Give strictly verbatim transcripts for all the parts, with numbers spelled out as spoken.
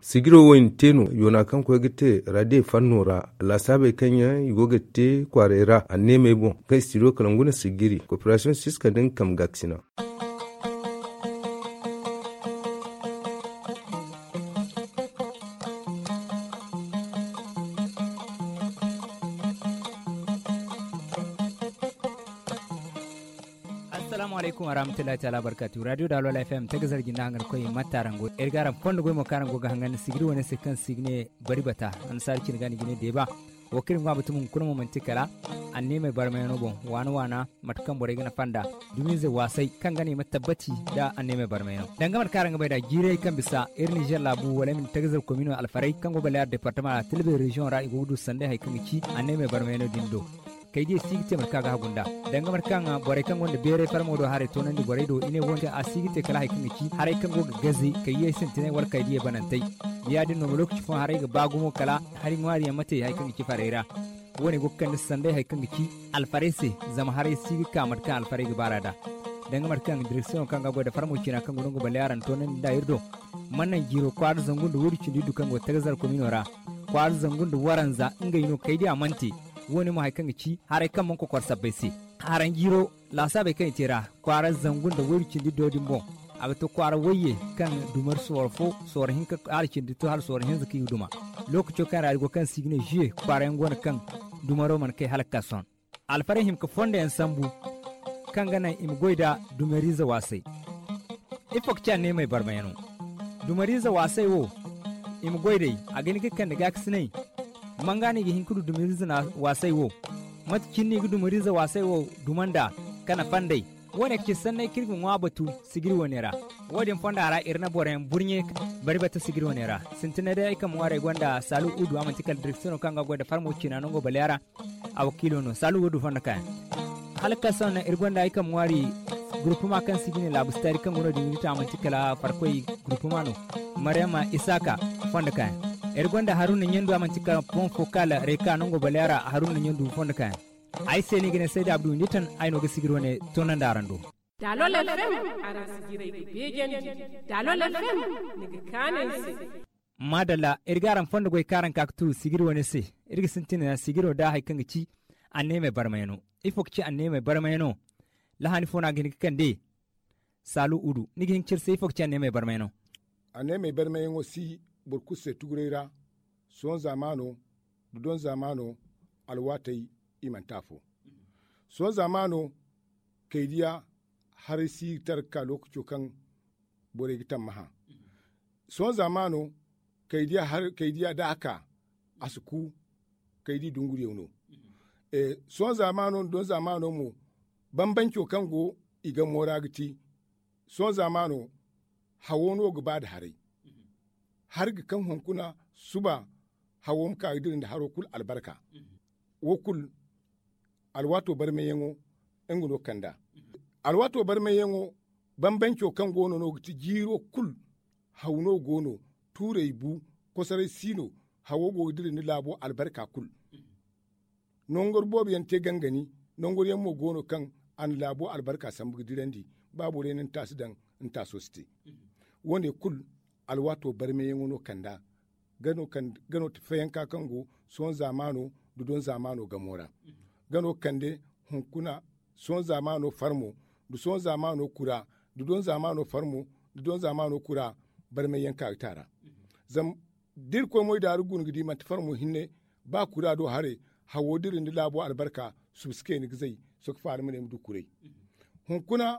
Sijiro wo i na te no yoona kaŋ koy ga te radiye fanno ra. Laasaabey kaŋ yaŋ i go ga te kwaaray ra anneemey boŋ kaŋ i si ti do kala ngu na sijiri koperasiyoŋ siska nda nga kambe gaakasina. Assalaamu alaykum warahmatullahi taala wabarkaatu radiyo daalo laafiyam tagazar jinda hangan koy matta araŋ go iri ga araŋ fondo goy mo kaŋ araŋ go ga hangan sijiri wane se kaŋ si ga ne bari bata. Annasaari cine ga ni ga ne deeba. Wo kaŋ iri ga ŋwa batumo hunkuna mo manti kala anneemey barmayano boŋ waana waana mate kaŋ borey ga nafa nd'a. Dumiize waasay kaŋ ga no i ma tabbati nda anneemey barmayano danga mate kaŋ araŋ ga bay nd'a jiirey kaŋ bisa iri nizer laabu wala ay ma ne tagazar komino alfarey kaŋ go baleera departama ra tilbey reziyoŋ ra i go ga du sanday hari kaŋ ga ci anneemey barmayano din do. Kay diya si ga te mate kaŋ a ga hagu nd'a danga mate kaŋ borey kaŋ gonda beeray farmo do haray toonandi borey do i ne wo- din a si ga te kala hari kaŋ ga ci haray kaŋ go ga gaze kay yay sintinay wala kay diya banantey. Ya- din no ma lookaci fooyaŋ haray ga ba gumo kala hari ŋwaari yaŋ ma te hari kaŋ ga ci farey ra. Wo- ne go ga kande sanday hari kaŋ ga ci alfarey se. Zama haray si ga ka mate kaŋ alfarey ga baar'a nd'a danga mate kaŋ direksiyoŋo kaŋ ga goy nda farmo ciina kaŋ go no nga baleera nda toonandi nd'a iri do. Mana naŋ jiiro kwaara zangu nda waydu cindi iddu kaŋ go tagazar komino ra kwaara zangu nda waranza ngey no kay diya mana te. Wo- ne mo hari kaŋ ga ci haray kaŋ mana kokor sabbay se. Haranjiiro laasaabey kaŋ i te ra kwaara zangu nda waydu cindi iddo din boŋ. A ga to kwaara wayye kaŋ dumari sooro fo sooro hinka hala cindi to hala sooro hinza kaŋ i ga duma. Lookaco kaŋ ra iri go kaŋ si ga ne zuye kwaara yaŋ go no kaŋ dumaro mana kay hala ga ka sohõ. Alfarey hima ga fondo yaŋ sambu kaŋ ga naŋ i ma goy nda dumariize waasay. Ifo ga ci anneemey barmayano? Dumariize waasay wo i ma goy day a ga hin ga kande gaakasinay. Manga no i ga hin ga du dumariize waasay wo? Mate cine no i ga dumariize waasay wo duma nd'a ka nafa nd'ey? Wo- ne ga ci sanney kaŋ iri ga ŋwa batu sijiri wane ra. Wo- din fonda ra iri na boro yaŋ burɲe bari bata sijiri wane ra. Sintinay day ay kambe ŋwaari ay gonda saalu udu a manti kala direksiyono kaŋ ga goy nda farmo ciina nango baleera. A wakiilo no saalu udu fondo kaayaŋ. Hala ga ka sohõ naŋ iri gonda ay kambe ŋwaari gurupuma kaŋ se i ga ne laabu sitaari kaŋ go no- din ga ti a manti kala farkoy gurupuma no. Maryama isaaka fondo kaayaŋ. Iri gonda haruna ɲandu a manti kala pon fo kaala reka nango baleera haruna ɲandu fondo kaayaŋ. Ay se no i ga ne sayda abdu windi tan ay no ga sijiri wane toonandi araŋ do. Daalol fm araŋ si jiray ga beejandi. Daalol fm ni ga kaanu ay se. Maadalla iri ga araŋ fondo goy kaŋ araŋ ka ga tu sijiri wane se. Iri ga sintina sijiro nda hari kaŋ ga ci anneemey barmayano. Ifo ga ci anneemey barmayano? Lahani fo no a ga hin ga kande. Saalu udu ni ga hin ga ci iri se ifo ga ci anneemey barmayano? Anneemey barmayaŋo si boro kulu se tuguray ra. Sohõ zaamaano dudon zaamaano alwaatey i manti afo. Sohõ zaamaano kaydiya haray si ga tara ga ka lookaco kaŋ borey ga tammaha. Sohõ zaamaano kaydiya da a ka a si ku kaydi dunguriyaŋ no. Sohõ zaamaano nda doŋ zaamaano mo bambanco kaŋ go i gamo ra ga ti. Sohõ zaamaano hawo no ga ba nda haray. Hari ga kaŋ hunkuna suba hawo ma ka ga dira nda haro kulu albarka. Wo kulu alwaato barmayyaŋo nga no kand'a. Alwaato barmayyaŋo bambanco kaŋ go no no ga ti jiiro kulu haw no go no. Tuurey bu kosoray si no. Hawo go ga dira ni laabo albarka kulu. Nongor boobo yaŋ te gangani. Nongor yaŋ mo go no kaŋ a na laabo albarka sambu ga dirandi. Ba borey na ni taasi daŋ ni taaso si te. Wo- ne kulu alwaato barmayyaŋo no kand'a. Ga no ti fayanka kaŋ go sohõ zaamaano nda doŋ zaamaano gamo ra. Ga no kande hunkuna sohõ zaamaano farmo nda sohõ zaamaano kura nda doŋ zaamaano farmo nda doŋ zaamaano kura. Barmayyaŋ ka ga te a ra. Zama da irkoy moydaaru guna ga di manti farmo hinne ba kura do haray. Hawo dira ni laabo albarka suba si kay ni ga zay. Sohõ ga faala ma ne ma du kuray. Hunkuna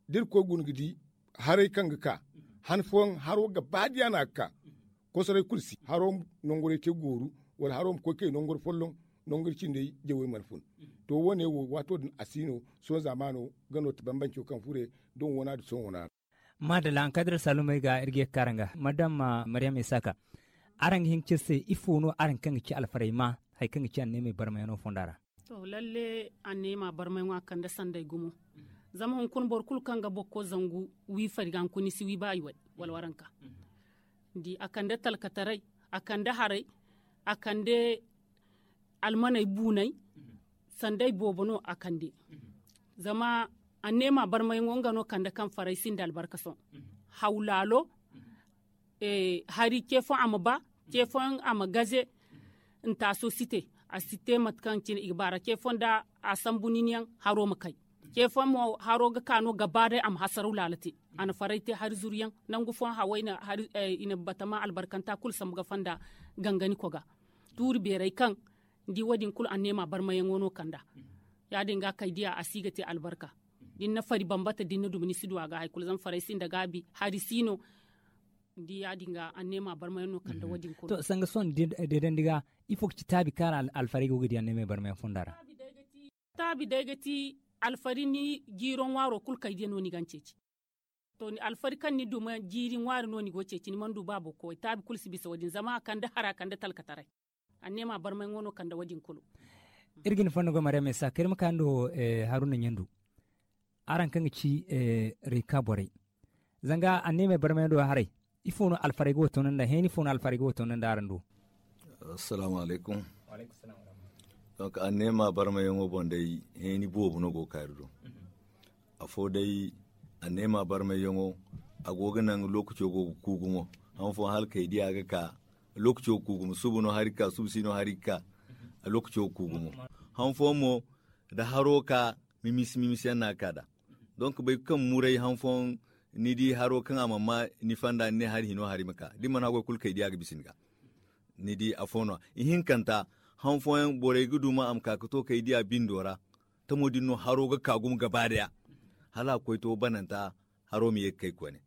da irkoy guna ga di haray kaŋ ga ka han fooyaŋ haro gaba diya no a ga ka. Kosoray kulu si haro ma nongoray te gooru wala haro ma koy kay nongor folloŋ nongor cindey jawey mana fun. To wo- ne wo waato din a si no. Sohõ zaamaano ga no ti bambanco kaŋ fure doŋ wana nda sohõ wana ra. Maadalla ankadira saalumey ga iri ga ye ga kaara nga madam maryam isaaka. Araŋ ga hin ga ci iri se ifo no araŋ kaŋ ga ci alfarey ma hari kaŋ ga ci anneemey barmayano fonda ra? To lalle anneema barmayano a kande sanday gumo. Zama hunkuna boro kulu kaŋ ga boro koy zangu wi fari ga hunkuna ni si wi ba i way wala waranka. Ni di a kande talkataray, a kande haray, a kande almaney buunay. Sanday boobo no a kande. Zama anneema barmayaŋo nga no kande kaŋ faray sinda albarka sohõ. Hawlaalo hari ce fooyaŋ a ma ba, ce fooyaŋ a ma gaze. Ntaaso si te, a si te mate kaŋ cine i ga ba ra ce fooyaŋ da a sambu nin yaŋ haro ma kay. Ce fooyaŋ mo haro ga ka no gaba day a ma hasaraw laala te. A na faray te hari zuru yaŋ nangu fooyaŋ haway i na batama albarkanta kulu sambu ga fonda gangani koga tuuri beeray kaŋ ni di wo- din kulu anneema barmayaŋo no kand'a. Ya- din ga kay diya a si ga te albarka. Da ni na fari bambata da ni na duma ni si du a ga hari kulu zama faray sinda gaabi hari si no. Ni di ya- din ga anneema barmayaŋ no kand'a wo- din kulu. To sanga sohõ deedandi ga ifo ga ci taabi kaŋ ra alfaray go ga di anneemey barmayaŋ fonda ra? Taabi day ga ti alfari ni jiiro ŋwaaro kulu kaydiya no ni ga ni ceeci. To alfari kaŋ ni duma jiiri ŋwaari no ni go ceeci ni mana du ba boro koy taabi kulu si bisa wo- din zama a kande hara kande talkataray. Anneema barmayaŋo no kande wo- din kulu. Iri ga ni fonda goy maryam isa kay iri ma ka ni do. Haruna ɲandu araŋ kaŋ ga ci reka borey zanga anneemey barmayaŋ do haray. Ifo no alfaray ga wo toonandi araŋ do? Assalaamu alaykum. Donk anneema barmayaŋo boŋ day heeni boobo no go ga kaari do. Afo day anneema barmayyaŋo a go ga naŋ lookaco go ga ku gumo. Han fooyaŋ hala kay diya ga ka lookaco ga ku gumo suba no hari ga ka suba si no hari ga ka lookaco ga ku gumo. Han fooyaŋ mo da haro ka mimisi mimisi yaŋ no a ga ka nd'a. Donk bay kaŋ muray han fooyaŋ ni di haro kaŋ a mana ma ni fonda ni ne hari hino hari ma ka da ni mana haggoy kulu kay diya ga bisa ni ga. Ni di afo no ihinkanta han fooyaŋ borey ga duma a ma ka ga to kay diya bindo ra. Tamo din no haro ga ka gumo gaba daya hala a ga koy to bananta haro ma ye ga kay koyne.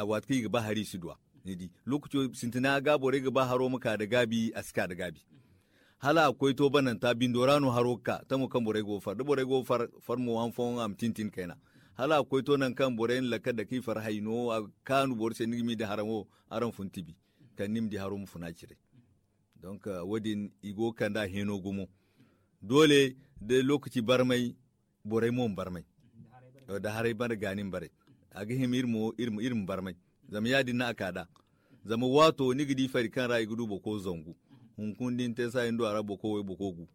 Waati kaŋ i ga ba hari i si du a ni di lookaco sintina ga borey ga ba haro ma ka nda gaabi a si ka nda gaabi. Hala a ga koy to bananta bindo ra no haro ga ka tamo kaŋ borey go ga far da borey go ga far mo han fooyaŋ a ma tintin kayna. Hala a ga koy to nangu kaŋ borey na lakkal dake i far hayno a ga kaanu boro se ni ga m'i di hara mo araŋ fun tibi kala ni ma di haro ma funa cire. Donk wo- din i go ga kand'a heeno gumo. Doole da lookaci barmay borey mo ma barmay. Da haray bare gaani ma baray a ga hima iri ma barmay. Zama ya- din no a ka nd'a. Zama waato ni ga di fari kaŋ ra i ga du boro koy zangu hunkuna da ni te saayaŋ du a ra boro koy way boro koy gu.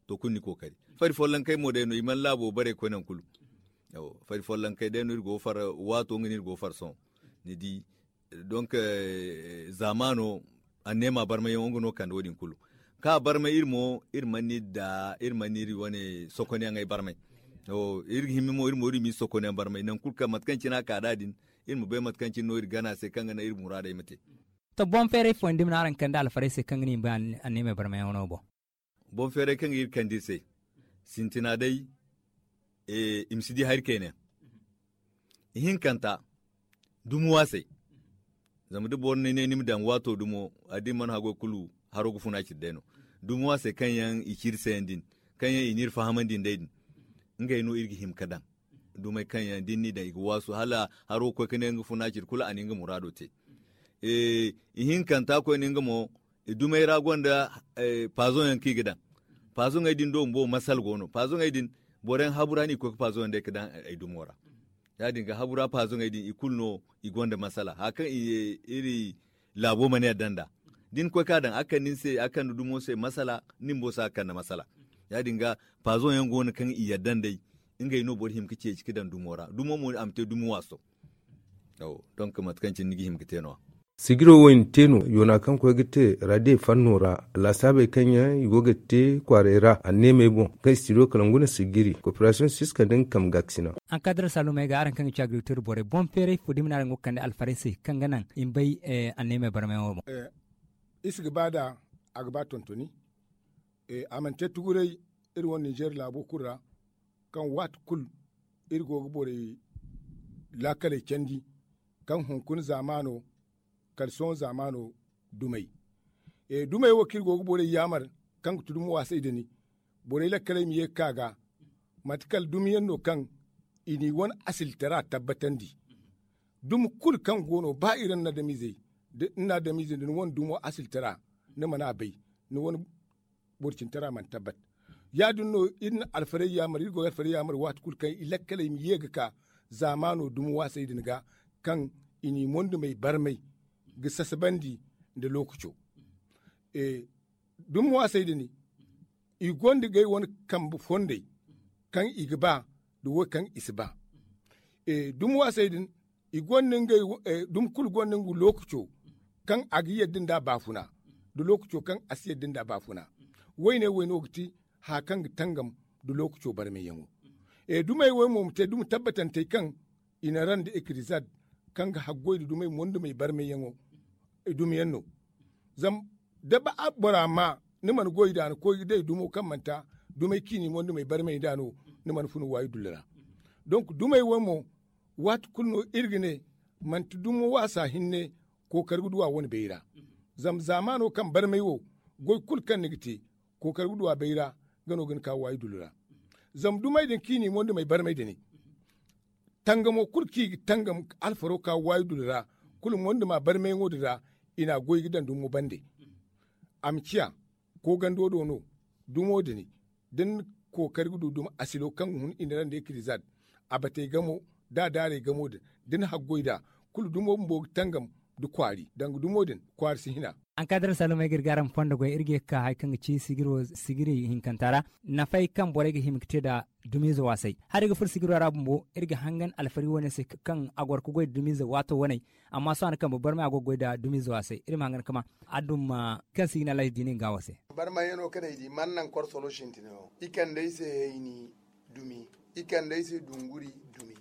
To kulu ni kookari fari follonkey mo day no i mana laabo bare koy nangu kulu. Fari follonkey day no iri go ga far waato nga no iri go ga far sohõ. Ni di donk zaamaano anneema barmayyaŋo nga no kande wo- din kulu. Kaŋ a barmay iri mo iri mana iri da iri mana iri wane sokonyaŋey barmay. Iri ga hima mo iri ma iri sokonyaŋ barmay nangu kulu kaŋ mate kaŋ cine a ka nd'a din iri ma bay mate kaŋ cine no iri gana se kaŋ ga naŋ iri muraadey ma te. To boŋ feeray fooyaŋ da i ma ne araŋ kande alfarey se kaŋ ga ne i ma bay anneemey barmayaŋo no boŋ. Boŋ feeray kaŋ ga iri kande iri se sintina day i ma si di hari kayna yaŋ. Ihinkanta dumi waasay. Zama da boro ni ne ni ma daŋ waato dumo a da ni mana haggoy kulu haro ga funa cire day no. Dumi waasay kaŋ yaŋ i ci iri se yaŋ din kaŋ yaŋ i n'iri fahamandi nd'ey din. Ngey no iri ga hima ga daŋ dumey kaŋ yaŋ da ni n'i daŋ i ga waasu hala haro ga koy ga ne nga funa cire kulu a na nga muraado te. Ihinkanta koyne nga mo dumey ra gonda paazoŋ yaŋ kaŋ i ga daŋ. Paazoŋey din do bumbo masala go no paazoŋey din boro yaŋ habu ra no i ga koy ga paazoŋ yaŋ day ga daŋ ay dumo ra. Ya- din ga habu ra paazoŋey din i kulu no i gonda masala haya kaŋ iri laabo mana yadda nd'a. Da ni koy ga a daŋ a ga kande ni se a ga kande dumo se masala ni bumbo se a ga kande masala. Ya- din ga paazoŋ yaŋ go no kaŋ i yadda nd'ey. Ngey no boro hima ga ceeci ga daŋ dumo ra dumo mo a ma te dumi waaso. Donk mate kaŋ cine ni ga hima ga te no- ya. Sigiro wo i na te no yoona kaŋ koy ga te radiye fanno ra laasaabey kaŋ yaŋ i go ga te kwaaray ra anneemey boŋ kaŋ i si ti do kala ngu na sigiri koperasiyoŋ siska nda nga kambe gaakasina. Ankadar saalumey ga araŋ kaŋ ga ci agrikultir borey boŋ feeray fo da i ma ne araŋ go ga kande alfarey se kaŋ ga naŋ i ma bay anneemey barmayaŋo boŋ. Iri si ga ba nd'a a ga ba tontoni. A mana te tuguray iri wane ninzeer laabo kulu ra kaŋ waati kulu iri go ga borey laakaley candi kaŋ hunkuna zaamaano kala sohõ zaamaano dumey. Dumey wo kaŋ iri go ga borey yaamar kaŋ ga ti dumi waasay da ni borey lakkaley ma ye ga ka ga mate kala dumiyaŋ no kaŋ i n'i wane asiltara tabbatandi. Dumi kulu kaŋ go no ba iri nda ni wane dumo asiltara ni mana a bay ni wane boro cintara mana tabbat. Ya- din no iri na alfarey yaamar iri go ga alfarey yaamar waati kulu kaŋ i lakkaley ma ye ga ka zaamaano dumi waasey din ga kaŋ i n'i mondumey barmay ga sasabandi nda lookaco. Dumi waasey din i gonda ngey wane kambe fondey kaŋ i ga ba nda wo kaŋ i si ba. Dumi waasey din i gonda ngey dumi kulu gonda nga lookaco kaŋ a ga yadda nda a baafuna, nda lookaco kaŋ a si yadda nda a baafuna. Wayne wayno ga ti haya kaŋ ga tangam nda lookaco barmayyaŋo. Dumey wo mo ma te dumi tabbatantey kaŋ i na ra nda ekirizad kaŋ ga haggoy nda dumey mondumey barmayyaŋo. Dumiyaŋ no. Zama da ba bora ma ni mana goy nda ni koy ga day dumo kaŋ manti dumey ciini mondumey barmay nda no, ni mana funa waayi dullu ra. Donk dumey wo mo waati kulu no iri ga ne manti dumo waasa hinne kookari ga du a wane bayra. Zama zaamaano kaŋ barmay wo goy kulu kaŋ ni ga te kookari ga du a bayra. Nga no ga ni ka waayi dullu ra. Zama dumey din ciini mondumey barmay da ne tangamo kulu kaŋ i ga tangam alfaro ka waayi dullu ra kulu monduma barmayyaŋo din ra. I n'a goy ga daŋ dumo bande. A ma ciya koogando do no dumo din da ni kookari ga du dumi asilo kaŋ ga hun i na ra nda ekirizad a batey gamo da a daarey gamo din da ni haggoy nd'a kulu dumo bumbo ga tangam nda kwaari danga dumo din kwaari si hina. Ankadar salumey ga iri ga araŋ fondo goy iri ga ye ga ka hari kaŋ ga ci sigiro sigiri hinkanta ra nafey kaŋ borey ga hima ga te nd'a dumiize waasay. Hari ga furo sigiro ra bumbo iri ga hangan alfari wane se kaŋ a goro ga goy nda dumiize waato waney. Amma sohõ a na kambe barmay a go ga goy nda dumiize waasay iri ma hangan ga ma aduma kaŋ si ga ne alhaji diini nga wo se. Barmayaŋo kaŋ ay di mana naŋ korsolo sintina yaŋ i kande ay se hayni dumi i kande ay se dunguri dumi.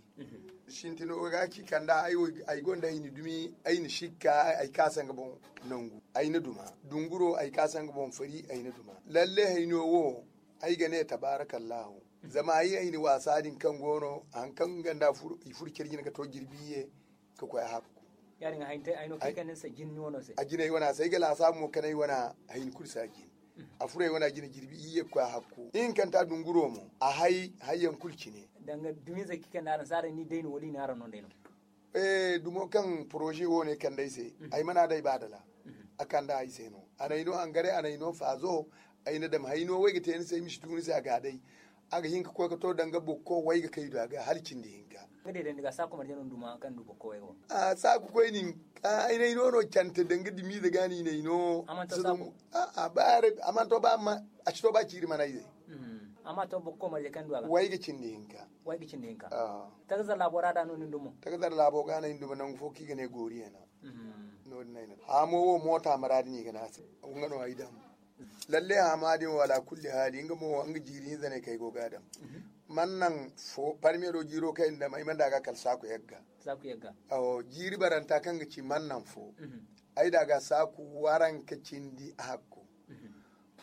Sintino ga ci kanda ay gonda hayni dumi ay na sikka ay kaasa nga boŋ nangu ay na duma dunguro ay kaasa nga boŋ fari ay na duma. Lalle hayno wo ay ga ne tabaarakallahu. Zama ay hayni waasa din kaŋ go no hari kaŋ nga nda i furo care jine ga to jirbi iyye ga koy a hakku. A jinay wana se ay ga laasaabu mo kaŋ ay wana hayni kulu si a jin. A furo ay wana jine jirbi iyye ga koy a hakku ihinkanta dunguro mo a hay hayyaŋ kulu cine. Danga dumiize ga kande araŋ se araŋ ni day no wala i ne araŋ no day no? Dumo kaŋ poroze wo ne kande ay se ay mana day ba dala. A kande ay se no a n'ay no hangare a n'ay no faazo. Ay na dam hayno wo ay ga te ni se ay ma si tu ni se a ga a day. A ga hin ga koy ga to danga bokko way ga kay du a ga hala cindi hinka. Saaku koy nin ay n'ay no no cante danga dimiize ga no i n'ay no. A mana to ba a ci to ba ciiri mana ay se. Way ga cindi hinka. Tagazar laabo ra da no nin dumo. Tagazar laabo ga no ay na dumo nangu fo kaŋ i ga ne gooriye no. No- din ay na hamo wo moota maraadi no i ga ne a se. Nga no ay daŋ lalle hama din wo alaakulli haali nga mo nga jiiri hinza ne kaŋ ay go ga a daŋ. Mana naŋ fo parmiye do jiiro kaŋ ay na daŋ ay mana daŋ a ga kala saaku yagga. Jiiri baranta kaŋ ga ci mana naŋ fo. Ay daŋ a ga saaku waranka cindi a hakku.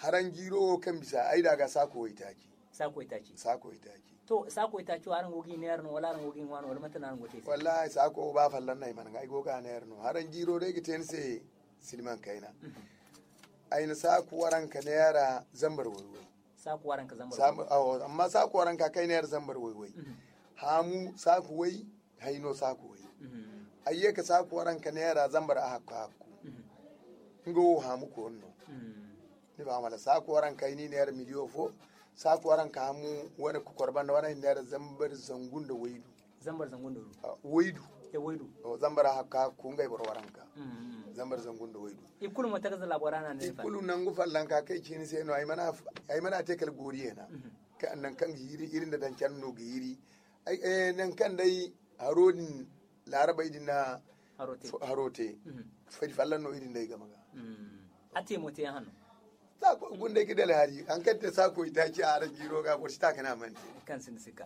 Haraŋ jiiro wo kaŋ bisa ay daŋ a ga saaku waytaaci. Saaku waytaaci. To saaku waytaaci wo araŋ go ga i neera no wala araŋ go ga i ŋwa no wala mate no araŋ go ga te ay se? Wallaahi saaku wo ba folloŋ no ay mana ŋwa ay go ga a neera no haraŋ jiiro day ga te ni se. Silman kayna ay na saaku waranka neera zambar wayway. Amma saaku waranka kaŋ ay neera zambar wayway. Haamu saaku way. Hayno saaku way. Ay ye ka saaku waranka neera zambar a hakku hakku. Nga wo haamu koonu no. Ni ba mala saaku waranka ay n'i neera miliyo fo. Saaku waranka haamu wane kokor banda wane ay n'i neera zambar zangu nda waydu. Zambar zangu nda waydu. Zambar a hakku hakku ngey boro waranka. Zambar zangu nda waydu. I kulu mo tagaza laabo ra no a ne i kulu nangu fallanka kaŋ ay ci ni se no ay mana te kala gooriye na. Nangu kaŋ ga hiiri iri nda daŋ care no ga hiiri. Nangu kaŋ day haro din laarabey din na haro te. Fari fallan no iri nda ay game ga. A te mo te yaŋ hanno. Saakoy gundey ga dala hari hari kaŋ te saakoy taaci a araŋ jiiro ga boro si ta kane a mana te. Kaŋ sinda sikka.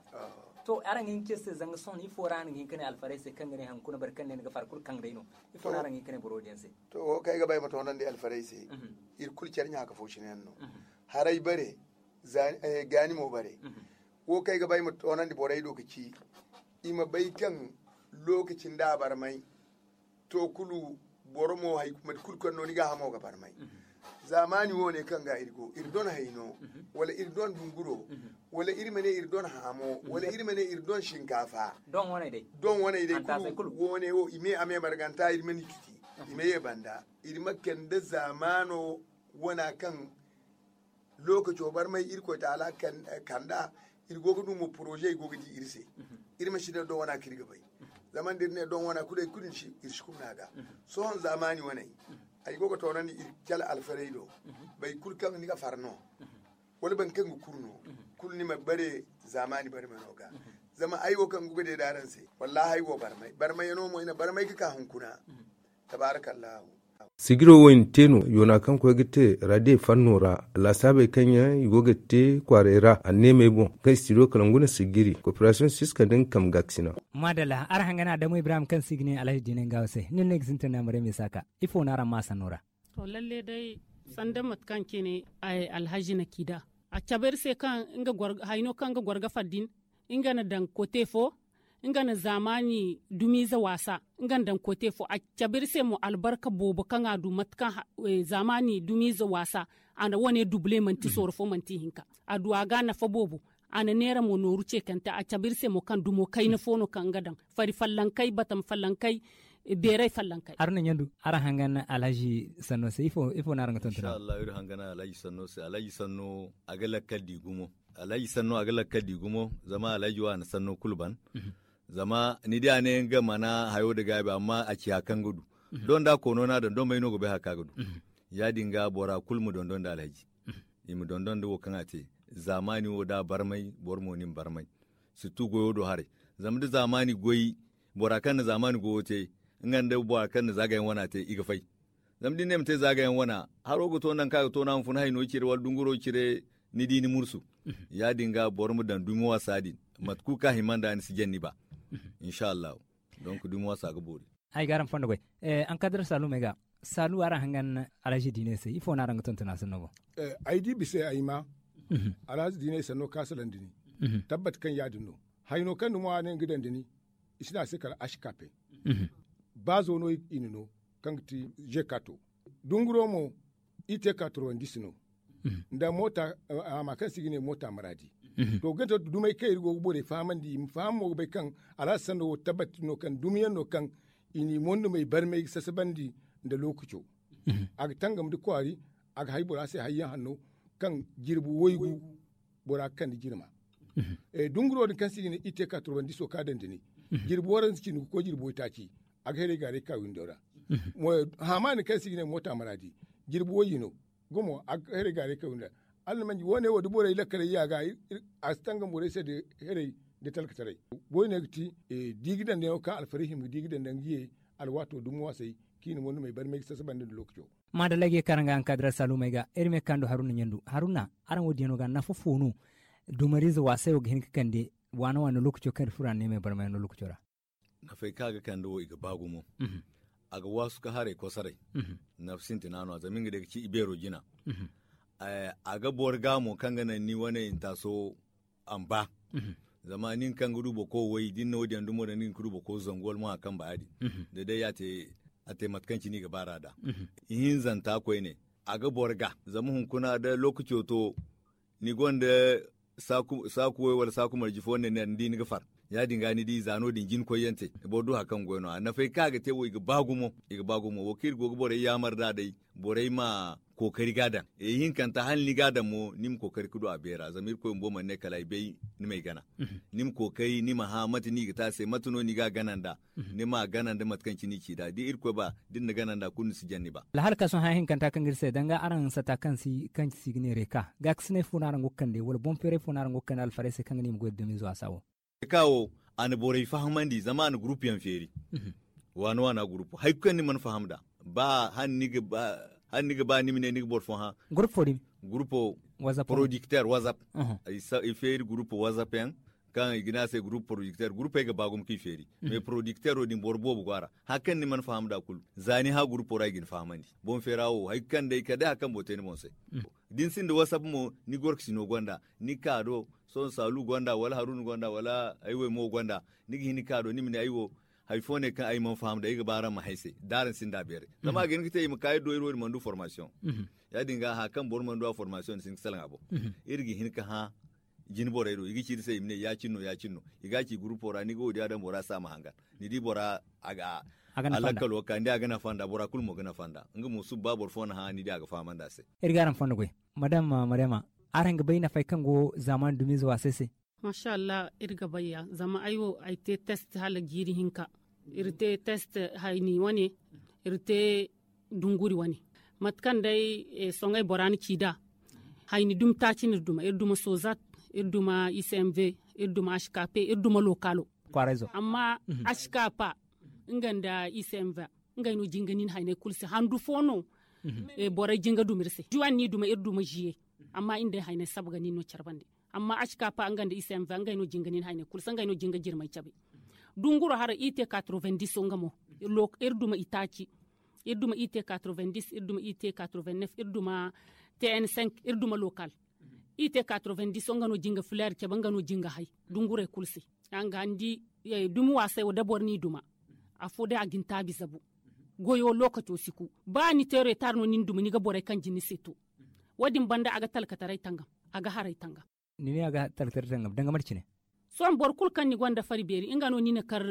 To araŋ ga hin ga ce se zanga sohõ ifo ra araŋ ga hin ka ne alfarey se kaŋ ga ne hari kuna boro kaŋ ne ni ga far kulu kaŋ day no. Ifo ra araŋ ga hin ka ne boro din se? To wo kaŋ ay ga ba ay ma toonandi alfarey se. Iri kulu care ɲaaka fo cine yaŋ no. Haray bare gaani mo bare. Wo kaŋ ay ga ba ay ma toonandi borey do ga ci i ma bay kaŋ lookaci nda a barmay. To kulu boro mo mate kulu kaŋ no ni gaahamo ga barmay. Zaamaani wo- ne kaŋ ga iri go iri don hayno wala iri don dunguro wala iri ma ne iri don haamo wala iri ma ne iri don sinkaafa. Don waney day kulu wo- ne wo i me a me marganta iri ma ni tuti. I ma ye banda iri ma kande zaamaano wana kaŋ lookaco barmay irkoy taala kanda. Iri go ga du mo poroze i go ga di iri se. Iri ma si ne don wana kaŋ iri ga bay. Zama da iri ne don wana kulu ay kulu iri si kumna ga. Sohõ zaamaani waney ay go ga toonandi iri cala alfarey do. Boro kulu kaŋ ni ga far no wala boro kaŋ ga kuru no kulu ni ma bare zaamaani barmay no ga. Zama ay wo kaŋ ga gode da araŋ se, wallaahi ay go barmay barmay yaŋo mo ay na barmay ga ka hunkuna. Tabaarakallahu. Sigiro wo i na te no yoona kaŋ koy ga te radiye fanno ra. Laasaabey kaŋ yaŋ i go ga te kwaaray ra anneemey boŋ kaŋ i si do kala ngu na sigiri koperasiyoŋ siska nda nga kambe gaakasina. Maadalla araŋ hangana adamu ibrahim kaŋ se i ga ne alhaji diinay nga wo se nin no ay ga sintin naamare me saaka. Ifo no araŋ ma a sanno ra? To lalle day, sanda mate kaŋ cine alhaji na ci da, a cabe iri se kaŋ hayno kaŋ nga goro ga far din, nga na daŋ kote fo. Nga na zaamaani dumiize waasa, nga na daŋ kote fo a cabe iri se mo albarka boobo kaŋ a du mate kaŋ zaamaani dumiize waasa. A na wane dubule manti sooro fo manti ihinka. A du a ga a nafa boobo. A na neera mo nooru ceekante a cabe iri se mo kaŋ dumo kayna fo no kaŋ nga daŋ fari fallankey batam fallankey, beeray fallankey. Haruna ɲandu, araŋ hangan alhaji sanno se ifo no araŋ ga tonton? Iri hangan alhaji sanno se alhaji sanno a ga lakkal di gumo. Alhaji sanno a ga lakkal di gumo. Zama alhaji wo a na sanno kulu ban. Zama ni di a ne nga mana hayo nda gaabi amma a ci hari kaŋ ga du. Don da a koono no a daŋ don may no ga bay hari kaŋ a ga du. Ya- din ga bora kulu ma dondon nda alhaji. I ma dondon nda wo kaŋ a te. Zaamaani wo da a barmay boro mo ni ma barmay. Sirtu goyo do haray. Zama da zaamaani goy bora kaŋ na zaamaani goyo te, nga nda bora kaŋ na zaagayaŋ wana te i ga fay. Zama da ni ne ma te zaagayaŋ wana, haro ga to nangu kaŋ a ga to no a ma fun hayno cire wala dunguro cire. Ni di ni mursu. Ya- din ga boro ma daŋ dumi waasa din mate kulu kaŋ a hima nd'a ni si jaŋ ni ba. Insha allahu. Donk dumi waasa ga boori. Ay ga araŋ fondo goy. Ankadar saalu may ga saalu araŋ hangan alhaji diine se ifo no araŋ ga tonton a sanno boŋ? Ay di bisa ay ma. Alhaji diine sanno kaŋ a salandi ni. Tabbat kaŋ ya- din no. Hayno kaŋ ni ŋwa ne nga daŋ da ni. I si ne a se kala ashkape. Ba zo no i na no kaŋ ga ti zekato. Dunguro mo i te katurwandis no. Nda moota, a ma kaŋ se i ga ne moota maraadi. To ga ne to dumey kaŋ iri go ga borey fahamandi i ma faham mo ga bay kaŋ alhaza sanno wo tabbati no kaŋ dumiyaŋ no kaŋ i n'i mondumey barmey ga sasabandi. Nda lookaco a ga tangam nda kwaari. A ga hay bora se hayyaŋ hanno kaŋ jirbi waygu bora ga kande jirma. Dunguro din kaŋ se i ga ne i te ka turbandiso ka daŋ da ni. Jirbi waranza cindi ga koy jirbi waytaaci. A ga heray gaaray ka windo ra. Haamaani kaŋ se i ga ne moota maraadi jirbi wayye no. Gumo a ga heray gaaray ka windo ra. Alla na manji wo- ne wo da borey lakkaley ya ga a si tangam borey se da heray da talkataray. Goy ne ga ti da i ga daŋ da yaŋo kaŋ alfarihim ga di ga daŋ da nga ye. Alwaato dumi waasay kaŋ i na mondumey barmay ga sasabandi nda lookaco. Maadalla ay ga ye kaŋ araŋ ga ankadira saalumey ga iri ma ye ga ka ndu haruna ɲandu haruna araŋ wo- din yaŋo ga nafa fo no? Dumariize waasay wo ga hin ga kande waana waana lookaco kaŋ iri furo a ne me barmay no lookaco ra. Nafey kaŋ a ga kande wo i ga ba gumo. A ga waasu ka haray kosoray. Nafa sintina no a zama nga day ga ci i beero jina. A ga boro ga mo kaŋ ga naŋ ni wane intaaso a ma ba. Zama nin kaŋ ga du boro koy way da ni na wo- din yaŋ dumo daŋ ni ga hin ga du boro koy zangu wala mo hari kaŋ ba ya- din. Da day a te mate kaŋ cine i ga baar'a nd'a. Ihinzanta koyne a ga boro ga zama hunkuna da lookaco to. Ni gonda saaku way wala saaku marje fo ne ni di ni ga far. Ya- din ga ni di za no- din jina koyyaŋ te. Boro du hari kaŋ ga goy no- ya nafey kaŋ a ga te wo i ga ba gumo. I ga ba gumo wo kaŋ iri go ga borey yaamar nd'a day. Borey ma kookari ga a daŋ. Ihinkanta hala ni ga a daŋ mo ni ma kookari ga du a beera zama irkoy bumbo mana ne kala ay bay. Ni m'ay gana. Ni ma kookari ni ma hã mate no i ga te a se mate no ni ga a gana nd'a. Ni m'a gana nda mate kaŋ cine i ci nd'a da irkoy ba da ni na gana nd'a kulu ni si jaŋ ni ba. Alhal kaŋ sohõ haya hinkanta kaŋ ga iri se danga araŋ sata kaŋ si kaŋ si ga ne reeka gaakasinay fo no araŋ go ga kande wala boŋ feeray fo no araŋ go ga kande alfarey se kaŋ ga ne i ma goy da dumiizo a saa wo? Reeka wo a na borey fahamandi zama a na gurupu yaŋ feeri. Waana waana gurupu hari kulu kaŋ ni mana faham nd'a ba hala ni ga ba ni ma ne ni ga boro fo hã. Gurupo din gurupo porodikter wazap. I feeri gurupo wazap yaŋ kaŋ i ga ne a se gurupo porodikter gurupey ga ba gumo kaŋ i feeri. Mais porodikter wo din boro boobo go a ra hari kaŋ ni mana faham nd'a kulu za ni hã gurupo ra i ga ni fahamandi. Boŋ feera wo hari kaŋ day kala day hari kaŋ boro te ni boŋ se. Da ni sinda wazap mo ni gorkasino gonda ni ga ka do sohõ saalu gonda wala haruna gonda wala ay wo mo gonda. Ni ga hin ga ka do ni ma ne ay wo hari fo ne kaŋ ay mana faham nd'a ay ga ba araŋ ma hay se da araŋ sinda a beeray zama a ga hin ga te i ma ka iri do iri wo iri mana du formasiyoŋ. Ya- din ga hari kaŋ boro mana du a formasiyoŋ ni si hin ga salaŋ a boŋ. Iri ga hin ga hã jine borey do i ga ci iri se i ma ne ya- cine no ya- cine no. I ga a ci gurupo ra ni ga wo- din a daŋ bora se a ma hangan ni di bora a ga a lakkal wo ga ka ni di a ga nafa nd'a bora kulu mo ga nafa nd'a nga mo suba ba boro fo na hã ni di a ga fahamandi a se. Iri ga araŋ fondo goy. Madam maryama, araŋ ga bay nafey kaŋ go zaamaani dumiize waasay se? Maasa allah iri ga bay ya zama ay wo ay te test hala jiiri hinka. Iri te test hayni wane. Iri te dunguri wane. Mate kaŋ day soŋay bora na ci nd'a hayni dumi taaci no iri duma iri duma sozat, iri duma icmv, iri duma asikaape iri duma lokaalo. Amma asikaape nga nda i se nva ngey no jinga nin hayney kulu se handu fo no. Borey jinga duma iri se juwan ni duma iri duma ziye. Amma iri nda ay hayney saba ga nin no care bande. Amma asikaape nga nda i se nva ngey no jinga nin hayney kulu se ngey no jinga jirmay cabe. Dunguro haray i te katrovendiso nga mo iri duma itaaci. Iri duma i te katrovendiso iri duma i te katrovendiso iri duma tn cinq iri duma lokaalo. I te katrovendiso nga no jinga fileer cabe nga no jinga hay dungurey kulu se. Nga ni di dumi waasay wo da boro n'i duma afo day a ga ni taabi zabu. Goyo lookaco si ku ba ni te reetar no ni na duma ni ga borey kaŋ jin ni se to. Wo- din banda a ga talkataray tangam a ga haray tangam. Ni ne a ga talkataray tangam danga mate cine. Sohõ boro kulu kaŋ ni gonda fari beeri nga no ni na kar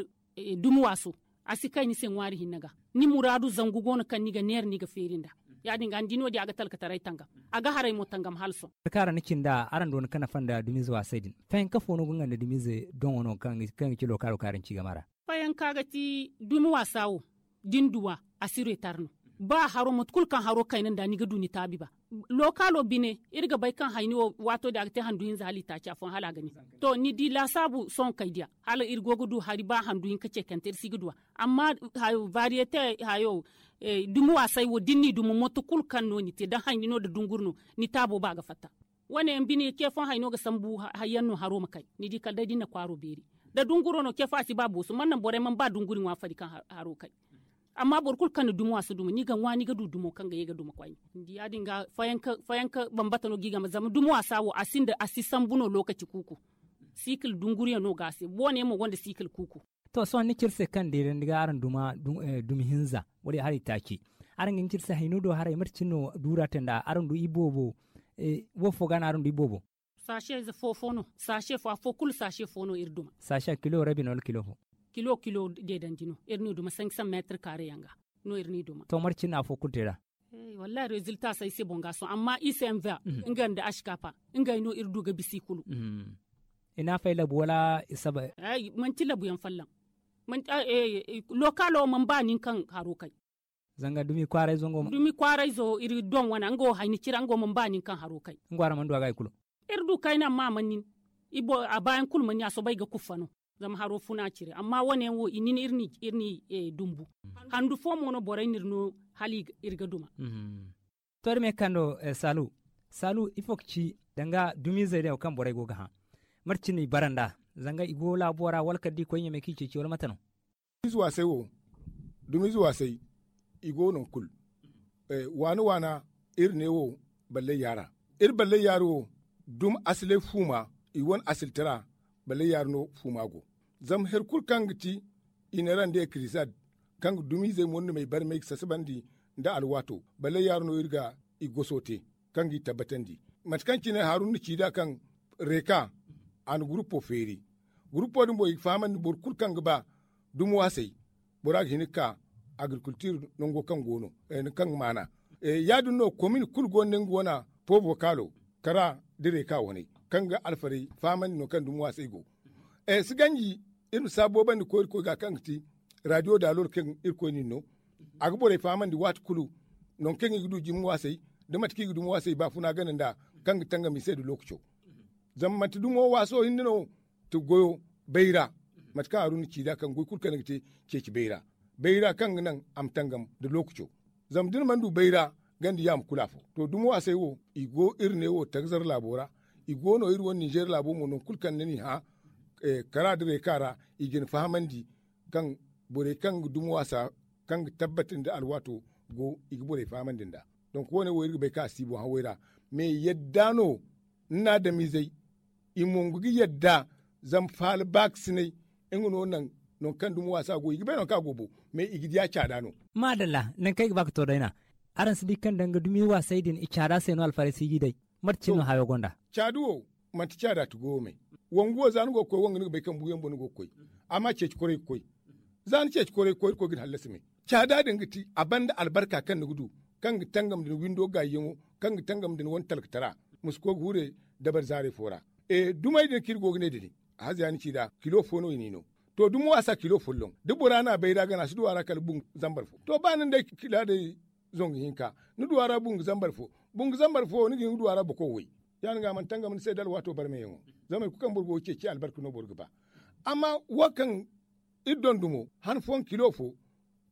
dumi waaso. A si kay ni se ŋwaari hinne ga ni muraadu zangu go no kaŋ ni ga neera ni ga feeri nd'a. Ya- din ga ni di no- din a ga talkataray tangam a ga haray mo tangam hala sohõ. Kaara ni cinda araŋ doona ka nafa nda dumiize waasay din fayanka fo no ga nga nda dumiize doŋo no kaŋ ga ci lokaalo kaara ni ci game ra. Fayanka ga ti dumi waasa wo da ni duw'a a si reetar no. Ba haro mate kulu kaŋ haro kayna nd'a ni ga du ni taabi ba. Lokaalo bine iri ga bay kaŋ hayni wo waato din a ga te handu hinza hala i taaci afooyaŋ hala a ga nin. To ni di laasaabu sohõ kay diya hala iri go ga du hari ba handu hinka ceekante iri si ga duw'a. Amma hayo variyete hayo dumi waasay wo da ni n'i duma moto kulu kaŋ no ni te da hayni no da dunguri no. Ni taabo ba ga fatta. Wane yaŋ bine ce fooyaŋ hayno ga sambu hayyaŋ no haro ma kay. Ni di kala day da ni na kwaaro beeri da dunguro no ce fooyaŋ a si ba booso man naŋ borey mana ba dunguri ŋwa fari kaŋ haro kay. Amma boro kulu kaŋ na dumo a si duma ni ga ŋwa ni ga du dumo kaŋ ga ye ga duma kwayni. Ni di ya- din ga fayanka bambata no ga i game zama dumo a si a wo a si sambu no lookaci kuuku. Siikil dunguriyaŋ no ga a se boone mo gonda siikil kuuku. To sohõ ni ci iri se kaŋ deerandi ga araŋ duma dumi hinza wala i haray taaci. Araŋ ga ni ci iri se hayno do haray mate cine no duura te nd'a araŋ du iboobo? Wo fo ga no araŋ du iboobo? Saase ize fo fo no saase fo afo kulu saase fo no iri duma. Saase a kilo rabi no wala kilo fo? Kilo kilo deedandi no iri n'i duma sanki san meetir kaare yaŋ ga. No iri n'i duma to mate cine no afo kulu te nd'a? Wallahi rezilta si ay se boŋ ga sohõ amma i se nva nga nda asikaafa ngey no iri du ga bisa i kulu. I n'a fay labu wala i saba? Manti labuyaŋ folloŋ. Lokaalo mana ba nin kaŋ haro kay. Zanga dumi kwaarayzo nga wo mana ba nin kaŋ haro kay. Nga wo araŋ mana du a ga hari kulu. Iri du kayna amma a mana nin. A baayaŋ kulu mana nin a soobay ga kuffa no. Zama haro funa cire amma wane yaŋ wo i nin iri n'i dumbu. Handu fo mo no borey n'iri no hala iri ga duma. To iri ma ye ga kande saalu. Saalu ifo ga ci danga dumiizey din wo kaŋ borey go ga hã? Mate cine no i bara nd'a? Zanga i go laabo ra wala kala da i koy ɲamey kaŋ i ceeci wala mate no? Dumiize waasey wo dumiize waasey i go nangu kulu. Waana waana iri ne wo ballay yaara. Iri ballay yaara wo dumi asilay fuuma i wane asiltara. Ballay yaara no fuuma go. Zama hari kulu kaŋ ga ti i ne ra nda ekirizad kaŋ ga dumiizey murnumey barmay ga sasabandi nda alwaato ballay yaara no iri ga i goso te. Kaŋ g'i tabbatandi mate kaŋ cine haruna na ci nd'a kaŋ reeka a na gurupo feeri. Gurupo din boŋ i ga fahamandi boro kulu kaŋ ga ba dumo a se bora ga hin ga ka agrikultir nango kaŋ go no kaŋ ga maana. Ya- din no komin kulu go no nda nga wana po vokaalo kara da reeka waney kaŋ ga alfarey fahamandi no kaŋ dumo a se go. Si ganji iri ma si a boobandi koy irkoy ga kaŋ ga ti radiyo daalor kaŋ irkoy no iri no. A ga borey fahamandi waati kulu nangu kaŋ i ga du jimi waasay da mate kaŋ i ga dumi waasay baafuna gana nd'a kaŋ ga tangam i se nda lookaco. Zama manti dumo waaso hinne no ti goyo bayra. Mate kaŋ haruna ci nd'a kaŋ goy kulu kaŋ ni ga te ceeci bayra bayra kaŋ ga naŋ a ma tangam nda lookaco. Zama da ni mana du bayra ganda yaama kulu afo to dumo waasay wo i go iri ne wo tagzar laabo ra. I go no iri wane ninzeer laabo mo nangu kulu kaŋ ni n'i hã kara da reeka ra i ga ni fahamandi kaŋ borey kaŋ ga dumi waasa kaŋ ga tabbati nda alwaato go i ga borey fahamandi nd'a. Donk wo- ne wo iri ga bay kaŋ a si i boŋ haway ra. Me yadda no ni na adamizey i mongu ga yadda zama faala baakasinay nga no naŋ nangu kaŋ dumi waasa go i ga bay nangu kaŋ a go bo. Me i ga di a caada no. Maadalla nangu kaŋ ay ga ba ga to day na araŋ si di kaŋ danga dumi waasay din i caada se no alfarey si g'i day? Mate cine no hayo gonda? Caada wo manti caada ti goyo me. Wangu wo za ni go ga koy wanga ni ga bay kaŋ buuyaŋ boŋ ni go ga koy. Amma ceeci koray ga koy za ni ceeci koray ga koy irkoy ga ni hallasi me. Caada din ga ti a banda albarka kaŋ ni ga du kaŋ ga tangam nda ni windo gaayyaŋo kaŋ ga tangam nda ni wane talkatara. Ma si koy ga hure dabari zaarey fo ra. Dumey din kaŋ iri go ga ne din haza ya ni ci nd'a kilo fo no i n'i no. To dumo waasa kilo folloŋ da bora na bayra gana a si du a ra kala bungu zambar fo to ba ni na day kila day. Zangu hinka ni du a ra bungu zambar fo bungu zambar fo ni ga hin ga du a ra boko way. Ya- din ga a mana tangam ni se da alwaato barmeyaŋo. Zama hari kulu kaŋ boro go ga ceeci albarka no boro ga ba. Amma wo kaŋ iri dondumo han fooyaŋ kilo fo,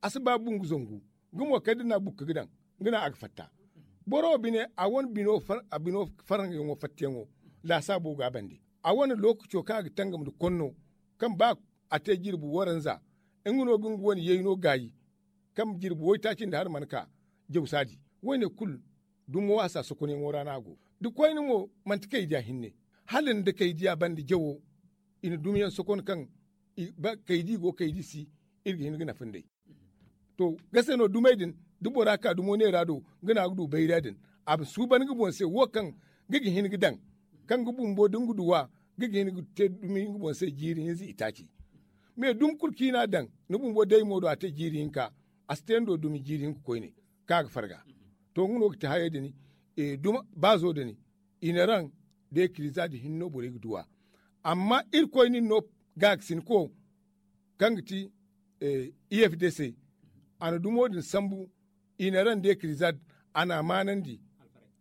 a si ba bungu zangu. Nga mo kala da ni na bukka ga daŋ, nga no a ga fatta. Boro wo bine a wane bino farangayaŋo fattayaŋo, laasaabo go a bande. A wane lookaco kaŋ a ga tangam nda konno, kaŋ ba a te jirbi waranza, nga no ga nga wane yayno gaayi, kaŋ jirbi waytaaci nda hari mana ka jawsaadi. Wo- ne kulu dumo waasa sokonyaŋo ra no a go. Da koyne mo manti kaydiya hinne, hala nda kaydiya banda jawo, i na dumiyaŋ sokon kaŋ kaydi go kaydi si, iri ga hin ga nafa nd'ey. To, gase no dumey din, da bora ka dumo neera do, nga no a ga du bayra din. A ma suuban nga boŋ se wo kaŋ nga ga hin ga daŋ, kaŋ nga bumbo da nga du wa, nga ga hin ga te dumi nga boŋ se jiiri hinza itaaci. Me dumi kulu kaŋ i n'a daŋ, ni bumbo day mo do a te jiiri hinka, a si te ni do dumi jiiri hinka koyne, kaŋ a ga farga. To, nga no ga ti hayey din, duma baazo din, i na raŋ da ekiliza din hinne no borey ga duw'a. Amma irkoy nin no gaakasinko, kaŋ ga ti i f d c, a na dumo din sambu, i na raŋ da ekiliza din, a n'a maanandi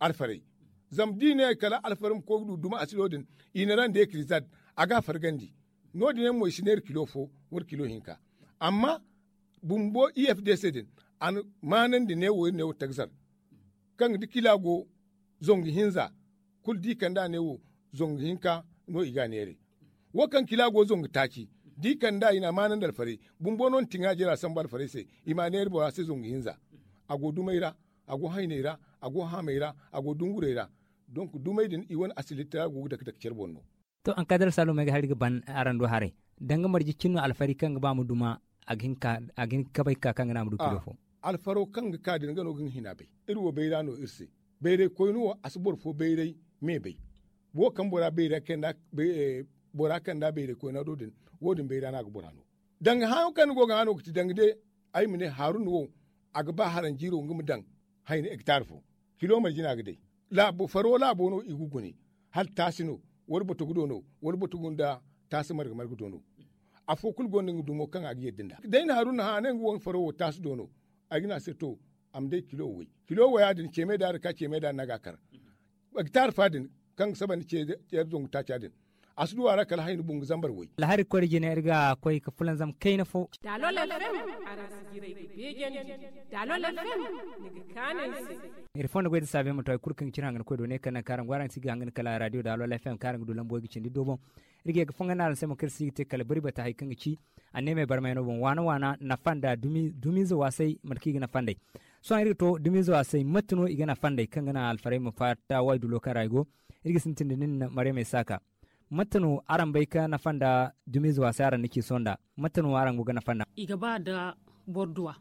alfarey. Zama da i ne kala alfarey ma koy ga du duma asilo din, i na raŋ da ekiliza din, a ga a fargandi. No- din yaŋ mo i si neera kilo fo, wala kilo hinka. Amma bumbo i f d c din, a na maanandi neewo iri neewo tagzar, kaŋ da kila go zangu hinza, kulu da i kand'a neewo, zangu hinka no i ga a neeray. Wo kaŋ kila go zangu taaci, da i kand'a i n'a maanandi alfarey, bumbo no na tiŋa jira sambu alfarey se, i m'a neera bora se zangu hinza. A go dumey ra, a go hayney ra, a go haamey ra, a go dungurey ra. Donk dumey din i wane asilitta go ga dake dake care boŋ no. To, ankadar saalumey ga hari ga ban araŋ do haray, danga marje cin no alfari kaŋ ga ba ma duma, a ga hin ga kabay ga ka kaŋ ga naŋ a ma du kilo fo. Alfaro kaŋ ga ka din nga no ga nga hina bay. Iri wo bayra no iri se. Bayray koyne wo a si boro fo bayray me bay. Wo kaŋ bora bayra kanda bora kanda bayray koyna do din, wo- din bayra no a ga bora no. Danga haayaŋo kaŋ ni go ga hã no ga ti danga day, ay ma ne haruna wo, a ga ba haranjiiro nga ma daŋ hayni hektar fo. Kilo marje no a ga day. Faro laabo no i ga gune, hala taasi no, wala batugu do no, wala batugu nda taasi marga marga do no. Afo kulu gonda nga dumo kaŋ a ga yadda nd'a. Day na haruna hã a ne nga wo nga faro wo taasi do no. Ay ga ne a se to, a ma day kilo way. Kilo waya din ceemay da a ga ka ceemay da a ga a kar. Hektar fa din, kaŋ ga saba nda ceeri zangu taaca din, a si du a ra kala hayni bungu zambar way. Alhari koy da jine iri ga koy ga fulanzam kayna fo. Daalol fm, araŋ si jiray ga beejandi. Daalol fm, ni ga kaanu ay se. Iri fondo goy da saabe ma to hari kulu kaŋ ga cine hanga ni koy do ne kaŋ naŋ kaŋ araŋ go araŋ si ga hanga ni kala radio daalol fm kaŋ araŋ ga du lambo ga cindi do boŋ. Iri ga ye ga fonga naaraŋ se mo kaŋ iri si ga te kala bari bata hari kaŋ ga ci anneemey barmayano boŋ waana waana nafa nda dumiize waasay mate kaŋ i ga nafa nd'ey. Sohõ iri ga to dumiize waasay mate no i ga nafa nd'ey kaŋ ga naŋ alfarey ma fatta waydulo kaŋ ra i go. Iri ga sintin da nin mareemey saaka. Mate no araŋ bay ka nafa nda dumiize waasay araŋ na ci sohõ nda? Mate no araŋ go ga nafa nda? I ga ba nda boro duwa.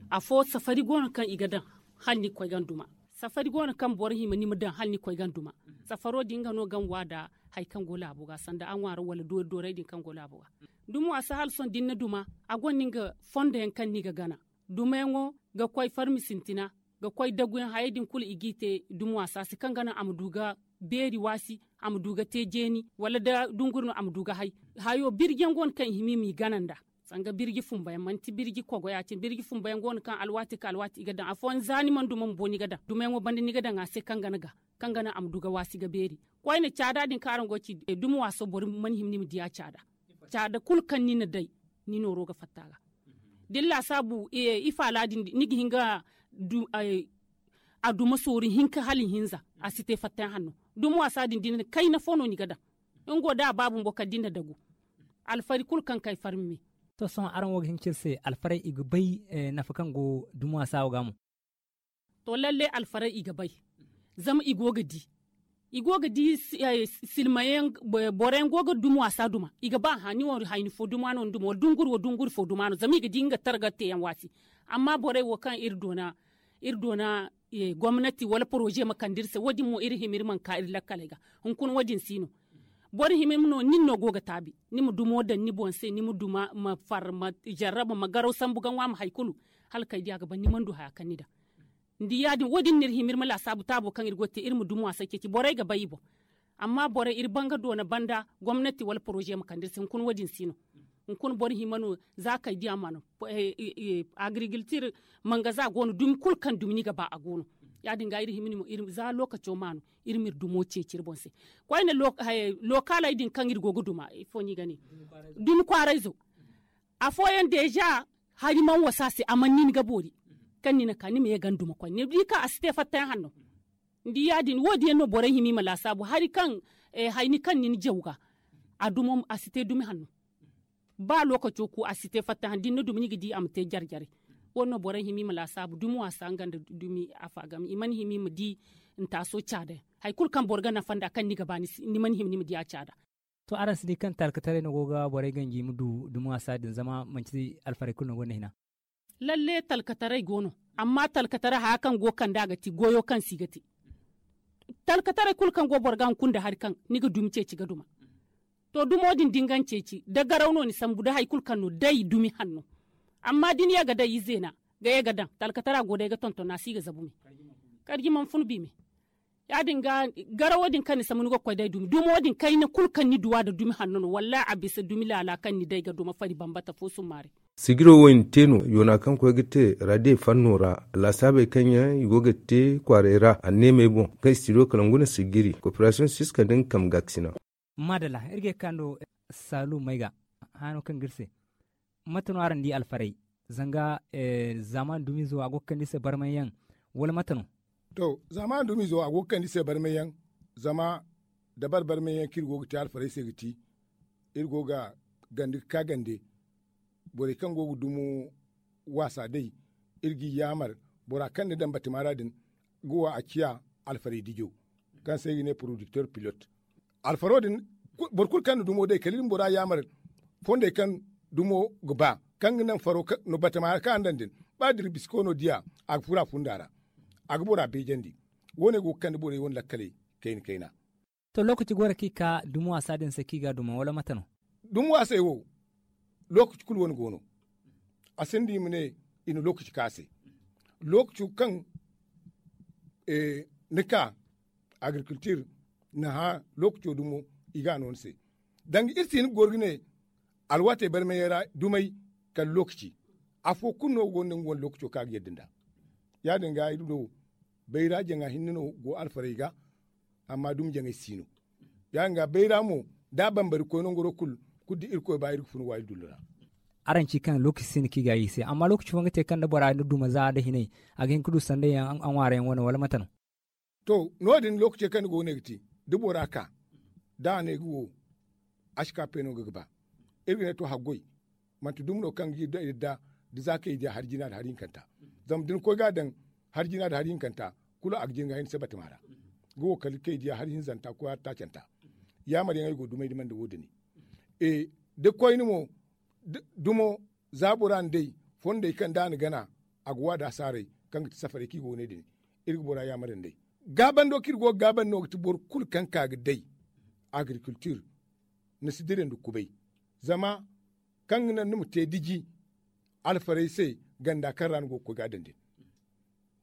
Afo safari go no kaŋ i ga daŋ hala ni ga koy ga ni duma. Safari go no kaŋ boro hima ni ma daŋ hala ni ga koy ga ni duma. Safaro din nga no ga ni wa nda hari kaŋ go laabo ga sanda a ŋwaaro wala doori doorey din kaŋ go laabo ga. Duma waasa hala sohõ da ni na duma, a gonda nga fondo yaŋ kaŋ ni ga gana. Dumayaŋo ga koy farmi sintina, ga koy daguyaŋ hayey din kulu i g'i te duma waasa se kaŋ ga naŋ a ma du ga beeri waasi, a ma du ga te jeeni wala da dunguri no a ma du ga hay. Hayo birji yaŋ go no kaŋ i hima i m'i gana nd'a. Sanga birji fumbayaŋ manti birji kogo ya- cine birji fumbayaŋ go no kaŋ alwaati kaŋ alwaati i ga daŋ afooyaŋ za ni mana duma bumbo ni ga daŋ dumayaŋo banda ni ga daŋ a se kaŋ ga naŋ a ma du ga waasi ga beeri. Koyne caada din kaŋ araŋ go ga ci duma waaso boro mana hima ni ma di a caada. Caada kulu kaŋ ni na day, ni nooro ga fatta a ga. Da ni laasaabu ifaala din ni ga hin ga a duma sooru hinka hala ihinza. A si te fattayaŋ hanno. Duma waasa din da ni na kayna fo no ni ga daŋ. Nga wo da a ba bumbo kala da ni na dagu. Alfari kulu kaŋ kay farmi me. To sohõ araŋ wo ga hin ga ci iri se alfarey i ga bay nafa kaŋ go duma waasa wo ga mo? To lalle alfarey i ga bay. Zama i go ga di i go ga di silmayaŋ, boro yaŋ go ga duma waasa duma i ga ba hã ni wo hayni fo duma no ni duma wala dunguri wo dunguri fo duma no zama i ga di nga targa teeyaŋ waasi. Amma borey wo kaŋ iri doona iri doona gomnati wala poroze ma kande iri se wo- din mo iri hima iri mana ka iri lakkaley ga. Hunkuna wo- din si no. Boro hima no nin no go ga taabi ni ma dumo daŋ ni boŋ se ni ma duma ma far ma jarraba ma garaw sambu ga ŋwa ma hari kulu. Hala kay di a ga ban ni mana du haya kaŋ ni daŋ. Ni di ya- din wo- din no iri hima iri ma laasaabu taabo kaŋ iri go ga te iri ma duma waasay ceeci borey ga bay i boŋ. Amma borey iri banga doona banda gomnati wala poroze ma kande iri se hunkuna wo- din si no. Hunkuna boro hima no za kay di a mana agirigiltir mangaza go no dumi kulu kaŋ dumi ni ga ba a go no. Ya- din ga iri hima ni mo za lookaco ma no iri ma iri dumo ceeci iri boŋ se. Koyne lookaaley din kaŋ iri go ga duma ifo no i ga ne dumi kwaarayzo. Afooyaŋ deeza hari mana wasa se a mana nin ga boori. Kaŋ ni na ka ni ma ye ga ni duma koyne ni di kaŋ a si te fattayaŋ hanno. Ni di ya- din wo- din yaŋ no borey hima i ma laasaabu hari kaŋ hayni kaŋ ni na jaw ga a dumo a si te dumi hanno. Ba lookaco ku a si te fattayaŋ da ni na dumi ni ga di a ma te jare jare. Wo- din no borey hima i ma laasaabu dumi waasa nga nda dumi afa game i mana hima i ma di. Ntaaso caada yaŋ hari kulu kaŋ boro ga nafa nd'a kaŋ ni ga ba ni mana hima ni ma di a caada. To araŋ si di kaŋ talkataray no go ga borey ganji i ma du dumi waasa din zama manti alfarey kulu no gonda hina. Lalle talkataray go no. Amma talkataray haya kaŋ go ga kande a ga ti goyo kaŋ se i ga te. Talkataray kulu kaŋ go boro ga hunkuna nda hari kaŋ ni ga dumi ceeci ga duma. To dumo din da ni ga ni ceeci da garaw no ni sambu da hari kulu kaŋ no day dumi hanno. Amma da ni ye ga day izeena ga ye ga daŋ talkatara go day ga tonton a si ga zabu me. Karji mana fun bi me. Ya- din ga garawo din kaŋ ni sambu ni go ga koy day dumi dumo din kayna kulu kaŋ ni du a nda dumi hanno no wallahi a bisa dumi laala kaŋ ni day ga duma fari bambata fo summaari. Sijiro wo i na te no yoona kaŋ koy ga te radiye fanno ra. Laasaabey kaŋ yaŋ i go ga te kwaaray ra anneemey boŋ kaŋ i si ti do kala ngu na sijiri koperasiyoŋ siska nda nga kambe gaakasina. Maadalla iri ga ye ga ka nda saalu may ga haano kaŋ ga iri se. Mate no araŋ di alfarey zanga zaamaani dumiizo a go ga kande i se barmay yaŋ? Wala mate no? To zaamaani dumiizo a go ga kande i se barmay yaŋ. Zama dabari barmay yaŋ kaŋ iri go ga te alfarey se ga ti iri go ga gande ga ka gande. Borey kaŋ go ga dumo waasa day iri g'i yaamar bora kaŋ ni daŋ batama ra din ga wa a ciya alfarey dijo kaŋ se i ga ne porodikter pilot. Alfaro din boro kulu kaŋ na dumo day kala iri ma bora yaamar fondey kaŋ dumo ga ba kaŋ ga naŋ faro batama ra kaŋ a na daŋ din ba dira bisiko no diya a ga furo a funda ra. A ga bora beejandi. Wo- ne go ga kande borey wane lakkaley kayna kayna. To lookaci go no kaŋ i ka dumi waasa din se kaŋ i ga a duma wala mate no? Dumi waasey wo lookaci kulu wane go no. A sinda i ma ne i na lookaci ka se lookaco kaŋ ni ka agrikultir na hã lookaco dumo i ga a no ni se. Danga iri si hin ga goro ga ne alwaatey barmay yaŋ ra dumey kala lookaci. Afo kulu no go no nga wane lookaco kaŋ a ga yadda nd'a. Ya- din ga iri do bayra jaŋa hinne no go alfarey ga. Amma dumi jaŋay si no ya- din ga bayra mo da a bambari koy nangaro kulu kulu da irkoy ba iri ga fun wa iri dullu ra. Araŋ ci kaŋ lookaci sinda kaŋ i ga a i se amma lookaci fooyaŋ ga te kaŋ da bora na duma za nda hinay a ga hin ga du sanda yaŋ a ŋwaara yaŋ wane wala mate no? To no- din lookaci kaŋ ni go ga ne ga te da bora ka da a ne ga wo a si ka peeno ga ga ba. Iri ga ne to haggoy manti dumi no kaŋ ga iri da da za kaŋ i diya hari jina nda hari hinkanta. Zama da ni koy ga a daŋ hari jina nda hari hinkanta kulu a ga jin ga hay ni se batama ra. Ga wo kala kaŋ i diya hari hinzanta koy hari taacanta. Yaamar yaŋ ay go dumey dumey nda wo- dini da koyne mo dumo za bora na day fondey kaŋ da a na gana a ga wa da saaray kaŋ ga ti safarey kaŋ i go ga ne din. Iri ga bora yaamar nda ay gaabando kaŋ iri go ga gaabandi no ga ti boro kulu kaŋ ka ga day agrikultir ni si dira nda kubay. Zama kaŋ ga naŋ ni ma te diji alfarey se ganda kaŋ ra ni go ga koy ga a daŋ din.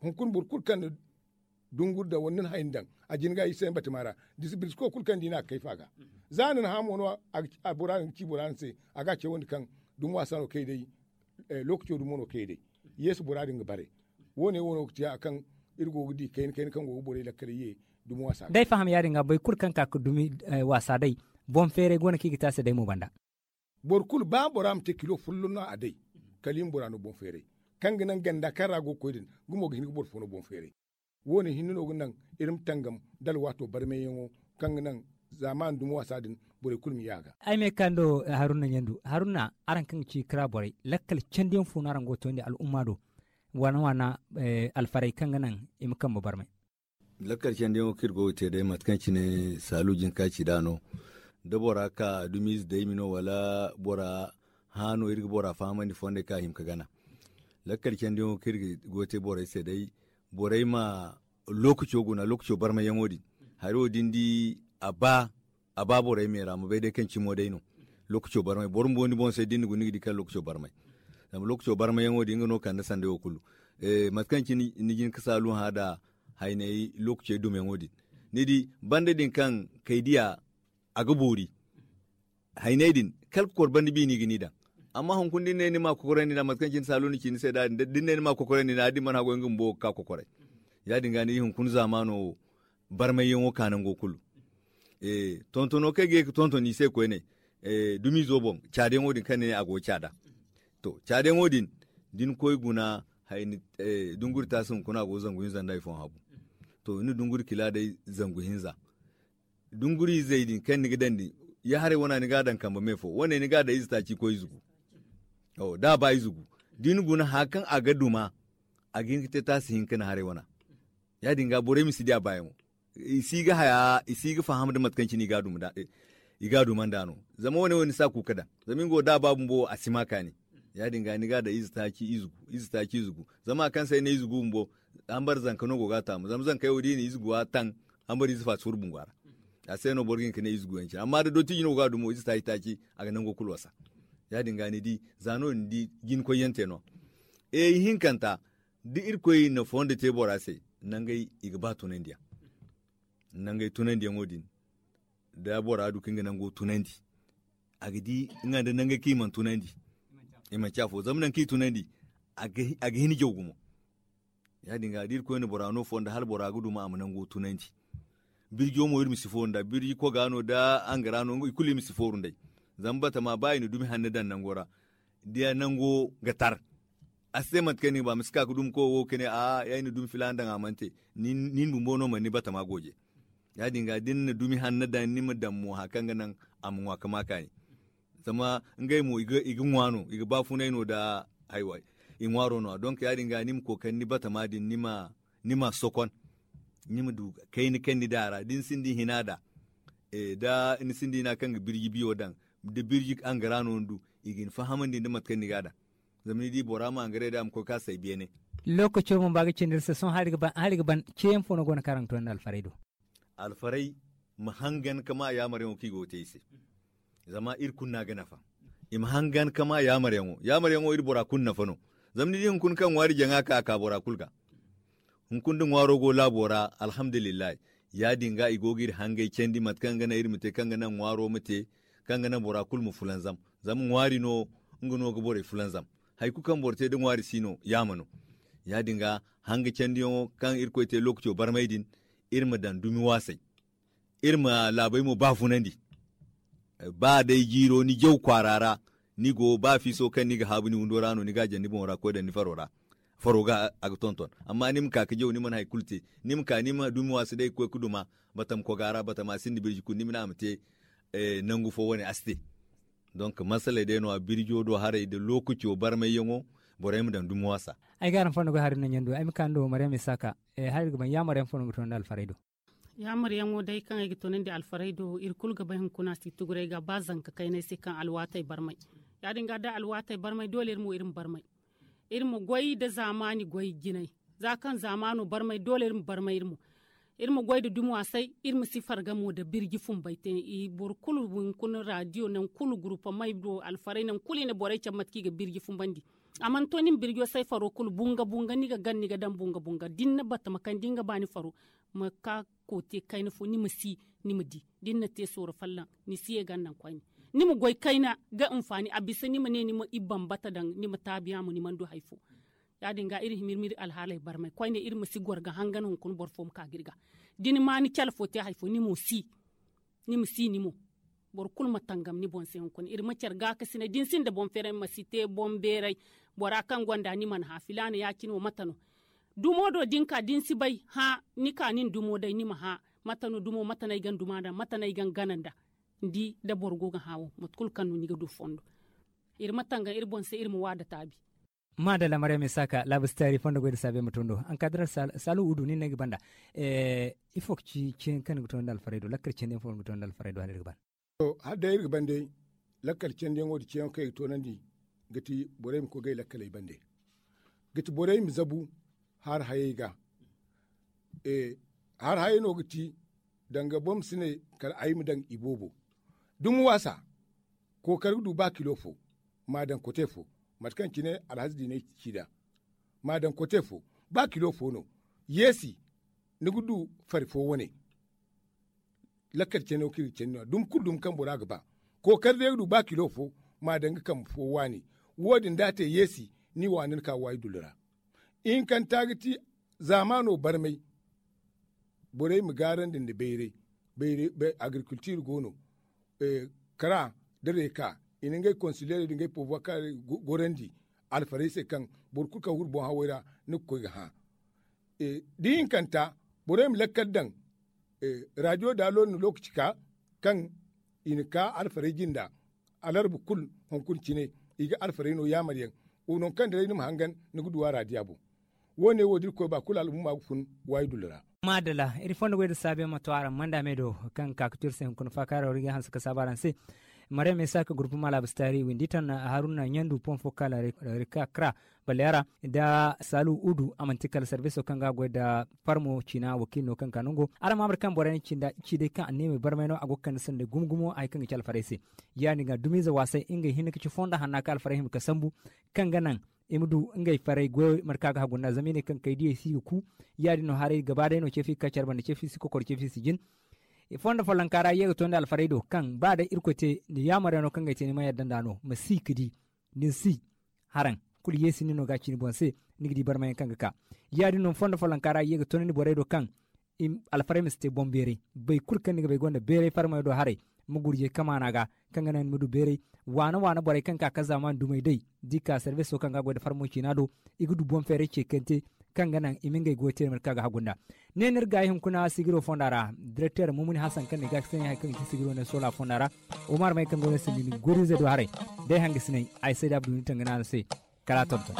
Hunkuna boro kulu kaŋ na dunguri daŋ wala ni na hay ni daŋ a jin ga i se ni batama ra. Birisko kulu kaŋ ni di no a ga kayfa ga za ni na hã mo no bora din ga ci bora din se a ga a cawandi kaŋ dumi waasa no kay day. Lookaco dumo no kay day yeesu bora din ga bare. Wo- ne wo no ga ci a kaŋ iri go ga di kayna kayna kaŋ go ga borey lakkaley ye dumi waasa ga day faham ya- din ga boro kulu kaŋ ka ga dumi waasa day boŋ feeray go no kaŋ i ga te a se day mo banda. Boro kulu ba bora ma te kilo folloŋ no a day kala i ma bora no boŋ feeray kaŋ ga naŋ ganda kaŋ ra a go ga koy din. Gumo ga hin ga boro fo no boŋ feeray. Wo- ne hinne no ga naŋ iri ma tangam da alwaato barmayyaŋo kaŋ ga naŋ zaamaani dumi waasa din borey kulu ma ye a ga. Ay ma ye ga ka nda haruna ɲandu haruna araŋ kaŋ ga ci kara borey lakkal candiyaŋ fo no araŋ go ga tondi al'umma do waana waana alfarey kaŋ ga naŋ i ma kambe barmay? Lakkal candiyaŋo kaŋ iri go ga te day mate kaŋ cine saalu jinka ci nd'a no. Da bora ka dumiize daymi no wala bora hã no iri ga bora fahamandi fondey kaŋ a hima ga gana. Lakkal candiyaŋo kaŋ iri go ga te borey se day borey ma lookaco guna lookaco barmayyaŋo din. Hari wo da ni di a ba a ba borey me ra ma bay day kaŋ cimo day no. Lookaco barmay boro bumbo ni boŋ se da ni na guna ni ga di kaŋ lookaco barmay. Zama lookaco barmayyaŋo din nga no kande sanday wo kulu. Mate kaŋ cine ni jin ga saalu hã nda haynay lookacey dumeyaŋo din ni di banda din kaŋ kay diya a ga boori. Haynay din kala kokor banda bi no i ga ni daŋ. Amma hunkuna da ni ne ni ma kokorandi nd'a mate kaŋ cine saalu na ci ni se da din da ni ne ni ma kokorandi nd'a da ni mana haggoy nga bumbo ga ka kokoray. Ya- din ga ni di hunkuna zaamaano wo barmayyaŋo ka nango kulu. Tontono kaŋ ay ga ye ga tonton i se koyne, dumiizo boŋ caadayaŋo din kaŋ ni ne a go ga caada. To caadayaŋo din da ni koy guna, dunguri taasi hunkuna a go ga zangu hinza nda hari fooyaŋ habu. To ni na dunguri kila day zangu hinza. Dunguri izey din kaŋ ni ga daŋ din, ya haray wana ni ga a daŋ kambe me fo wane ni ga a daŋ ize taaci koy ize gu. Da a ba ize gu da ni guna haya kaŋ a ga duma, a ga hin ga te taasi hinka ni haray wana. Ya- din ga borey ma si di a baayaŋo. I si ga haya i si ga faham nda mate kaŋ cine i ga a duma nd'a no. Zama wane wo ni si a kuuka daŋ zama nga wo da a ba bumbo wo a si ma kaani. Ya- din ga ni ga a daŋ ize taaci ize gu zama hari kaŋ se ay ne ize gu bumbo, hambar zanka no go ga a taamu zama zankey wo da i na ize gu a taŋ, hambar ize faati furo bungo ra. A se no boro ga hin ga ne ize gu yaŋ cine amma da dootiji no go ga a dumo ize taaci taaci, a ga nango kulu wasa. Ya- din ga ni di za no- din ni di jina koy yaŋ te no. Ihinkanta da irkoy na fondo te bora se, nangey i ga ba tunandiyaŋ. Nangey tunandiyaŋo din da bora du kaŋ ga nango tunandi, a ga di nga nda nangey kaŋ i mana tunandi. I manci afo zama nangu kaŋ i tunandi, a ga hin jaw gumo. Ya- din ga da irkoy na bora no fondo hala bora ga duma a ma nango tunandi. Birjo mo iri ma si fooru nd'a birji koga no da angara no i kulu iri ma si fooru nd'ey. Zama batama ba i na dumi hanno daŋ nango ra, da nango ga tar, a si te mate kaŋ ni ga ba ma si ka ga dumi koy wo ga ne a'a ya i na dumi filaana daŋ a mana te. Ni na bumbo no mana ni batama gooje. Ya- din ga da ni na dumi hanno daŋ ni ma daŋ mo hari kaŋ ga naŋ a ma ŋwa ga ma kaani. Zama ngey mo i ga ŋwa no i ga baafunay no nda haywa. I ŋwaaro no a donk ya- din ga ni ma kookari ni batama din ni ma sokon. Ni ma du kayna kaŋ ni daŋ a ra da ni sinda hina daŋ, da ni sinda hina kaŋ ga birji biyo daŋ, da birji angara no ni du, i ga ni fahamandi nda mate kaŋ ni ga a daŋ. Zama ni di bora ma angaray daŋ a ma koy ka say beene. Lookaco bumbo a ga cindi iri se sohõ hala iri ga ban ceeyaŋ fo no go no kaŋ araŋ ga to nda alfaray do? Alfaray ma hangan ka ma yaamaryaŋo kaŋ i go ga te i se. Zama iri kulu no a ga nafa. I ma hangan ka ma yaamaryaŋo yaamaryaŋo iri bora kulu nafa no. Zama ni di hunkuna kaŋ ŋwaari jaŋa ka a ka bora kulu ga. Hunkuna da ŋwaaro go laabo ra, alhamdulillahi. Ya- din ga i go ga iri hangey candi mate kaŋ ga naŋ iri ma te kaŋ ga naŋ ŋwaaro ma te, kaŋ ga naŋ bora kulu ma fulanzam. Zama ŋwaari no nga no ga borey fulanzam. Hari kulu kaŋ boro te da ŋwaari si no yaama no. Ya- din ga hanga candiyaŋo kaŋ irkoy te lookaco barmay din, iri ma daŋ dumi waasay. Iri ma laabey mo baafunandi. Ba day jiiro ni jaw kwaara ra, ni go ba fiiso kaŋ ni ga haabu ni windo ra no ni ga a jaŋ ni boŋo ra ga koy daŋ ni faro ra. Faro ga a ga tonton amma ni ma ka ga jaw ni mana hari kulu te. Ni ma ka ni ma dumi waasi day ga koy ga duma, batama koga ra batama sinda birji kulu ni ma ne a ma te nangu fo wane a si te. Donk masaley day no- ya birjo do haray nda lookaco barmayyaŋo. Borey ma daŋ dumi waasa. Ay ga araŋ fondo goy hari no ɲandu ay ma ka ni do maryam isaaka. Hari ga ban yaamaryaŋ fo no ga to nda alfaray do? Yaamaryaŋo day kaŋ ay ga toonandi alfaray do iri kulu ga bay hunkuna si tuguray ga ba zanka kaynay se kaŋ alwaatey barmay. Ya- din ga da alwaatey barmay doole iri mo iri ma barmay. Iri ma goy nda zaamaani goy jinay. Za kaŋ zaamaano barmay doole iri ma barmay iri mo. Iri ma goy nda dumi waasay iri ma si farga mo nda birji fumbay te. Boro kulu hunkuna raadiyo nangu kulu gurupamey do alfaray nangu kulu i na borey cabe mate kaŋ i ga birji fumbandi. A mana to ni ma birjo say faro kulu bunga bunga ni ga gana ni ga daŋ bunga bunga da ni na batama kaŋ da ni ga ba ni faro, ma ka koote kayna fo ni ma si, ni ma di da ni na te sooro fallaŋ. Ni si ye gana naŋ koyne, ni ma goy kayna ga hinfaani a bisa ni ma ne ni ma i bambata daŋ ni ma taabiya mo ni mana du hari fo. Ya- din ga iri hima iri ma iri alhaaley barmay koyne iri ma si goro ga hangan hunkuna boro fo ma ka ga iri ga. Da ni ma ni cale fo te hari fo ni mo si. Ni ma si ni mo. Boro kulu ma tangam ni boŋ se hunkuna iri ma care gaakasinay da ni sinda boŋ feeray ma si te boŋ beeray. Bora kaŋ gonda ni mana hã filaana ya- cine wo mate no? Dumo do da ni ka da ni si bay hã, ni ka nin dumo day ni ma hã. Mate no dumo mate no ay ga ni duma nd'a mate no ay ga ni gana nd'a? Ni di da boro go ga hã wo mate kulu kaŋ no ni ga du fondo. Iri ma tangam iri boŋ se iri ma waada taabi. Maadalla maryam isaaka laabu si taari fondo goy nda saabe ma to ni do. Ankadira saalu udu nin no ay ga banda. Ifo ga ci ceeyaŋ kaŋ ni ga to nda alfaray do lakkal candi yaŋ fo no ni ga to nda alfaray do hala iri ga ban? To hala day iri ga ban day, lakkal candiyaŋo nda ceeyaŋo kaŋ i ga toonandi, ga ti borey ma koy ga ay lakkaley bande. Ga ti borey ma zabu haara hayey ga. Haara hayey no ga ti, danga boro ma si ne kala ay ma daŋ iboobo. Dumi waasa, kookari ga du ba kilo fo, m'a daŋ kote fo. Mate kaŋ cine alhaza diiney ci nd'a, m'a daŋ kote fo. Ba kilo fo no, yeesi, ni ga du fari fo wane. Lakkal cano kaŋ iri ga candi no-ya dumi kulu dumi kaŋ bora ga ba. Kookari day ga du ba kilo fo, m'a daŋ ga kambe fo waani. Wo- din da a te yeesi, ni waani ni ka waayi dullu ra. Ihinkanta ga ti zaamaano barmay borey ma gaarandi nda bayray. Agrikultiir go no, kara nda reeka i na ngey konsileerey nda ngey pobuwakaarey gorandi alfarey se kaŋ boro kulu kaŋ huru boŋ hawey ra ni ga koy ga hã. Da ihinkanta borey ma lakkal daŋ raadiyo daalo na lookaci ka kaŋ i na ka alfarey jinda alarba kulu hunkuna cine i ga alfarey no yaamar yaŋ. Wo nangu kaŋ da day ni ma hangan ni ga du a raadiya boŋ. Wo- ne wo da irkoy ba kulu al'umma ga fun waayi dullu ra. Maadalla iri fondo goy da saabe ma to araŋ manda me do kaŋ ga ka ga to iri se hunkuna faakaaro ra iri ga hanse ka saabu araŋ se. Maryam isaaka gurpu ma laabas taari windi tan haruna ɲandu pon fo kala rika kra baleera nda saalu udu a manti kala sarbiso kaŋ ga a goy nda farmo ciina wakiili no kaŋ ga ka nango araŋ ma a ma iri kaŋ borey na cinda i ci day kaŋ anniya ma barmay no a go ga kande sanday gumo gumo hari kaŋ ga ci alfarey se. Ya- din ga dumiize waasay ngey hinne ga ci fondo hanna kaŋ alfarey hima ga sambu kaŋ ga naŋ i ma du ngey farey goyo mate kaŋ a ga hagu nd'a zama i ne kaŋ kay diyey si ga ku. Ya- din no haray gaba day no ceefi ga ka care banda ceefi si kokoro ceefi si jin. Fondo follonka ra i ye ga tondi alfarey do kaŋ ba day irkoy te ni yaamar yaŋ no kaŋ ga ay te ni ma yadda nd'a no ma si ga di. Ni si haraŋ kulu yeesi ni no ga a ci ni boŋ se. Ni ga di barmayaŋ kaŋ ga ka ya- din no fondo follonka ra i ye ga tondi borey do kaŋ alfarey ma si te boŋ beeray. Boro kulu kaŋ ni ga bay gonda beeray farmayaŋ do haray ma gurjay kamaana ga kaŋ ga naŋ ni ma du beeray. Waana waana borey kaŋ ga ka ka zaamaani dumey day da i ka sarbiso kaŋ ga a goy nda farmo ciina do i ga du boŋ feeray ceekante kaŋ ga naŋ i ma ngey goyo te mate kaŋ a ga hagu nd'a. Ne no iri gaayi hunkuna sigiro fonda ra direkteer mumuni hasan kaŋ na i ga ga sanya hari kaŋ ga ci sigiro ne soola fonda ra. Omar may kaŋ go no sindi ni goriize do haray day hangasinay ay say da abdu ni tangana no se. Kala a tonton.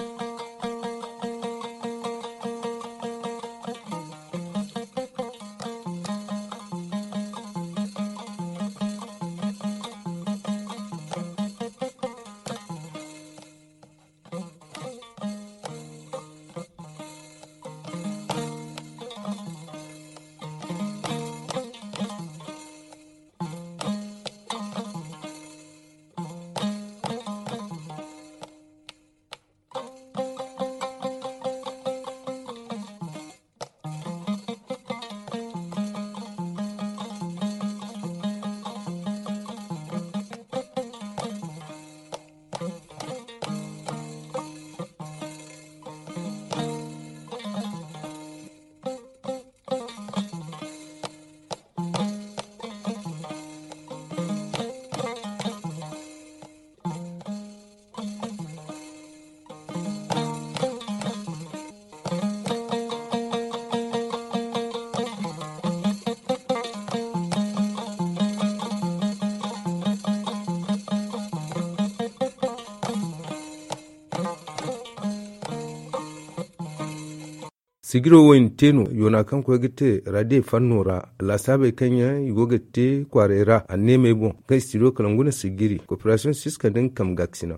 Sigiro wo i na te no yoona kaŋ koy ga te raadiyo fanno ra. Laasaabey kaŋ yaŋ i go ga te kwaaray ra anneemey boŋ kaŋ i si ti do kala ngu na sigiri koperasiyoŋ siska nda nga kambe gaakasina.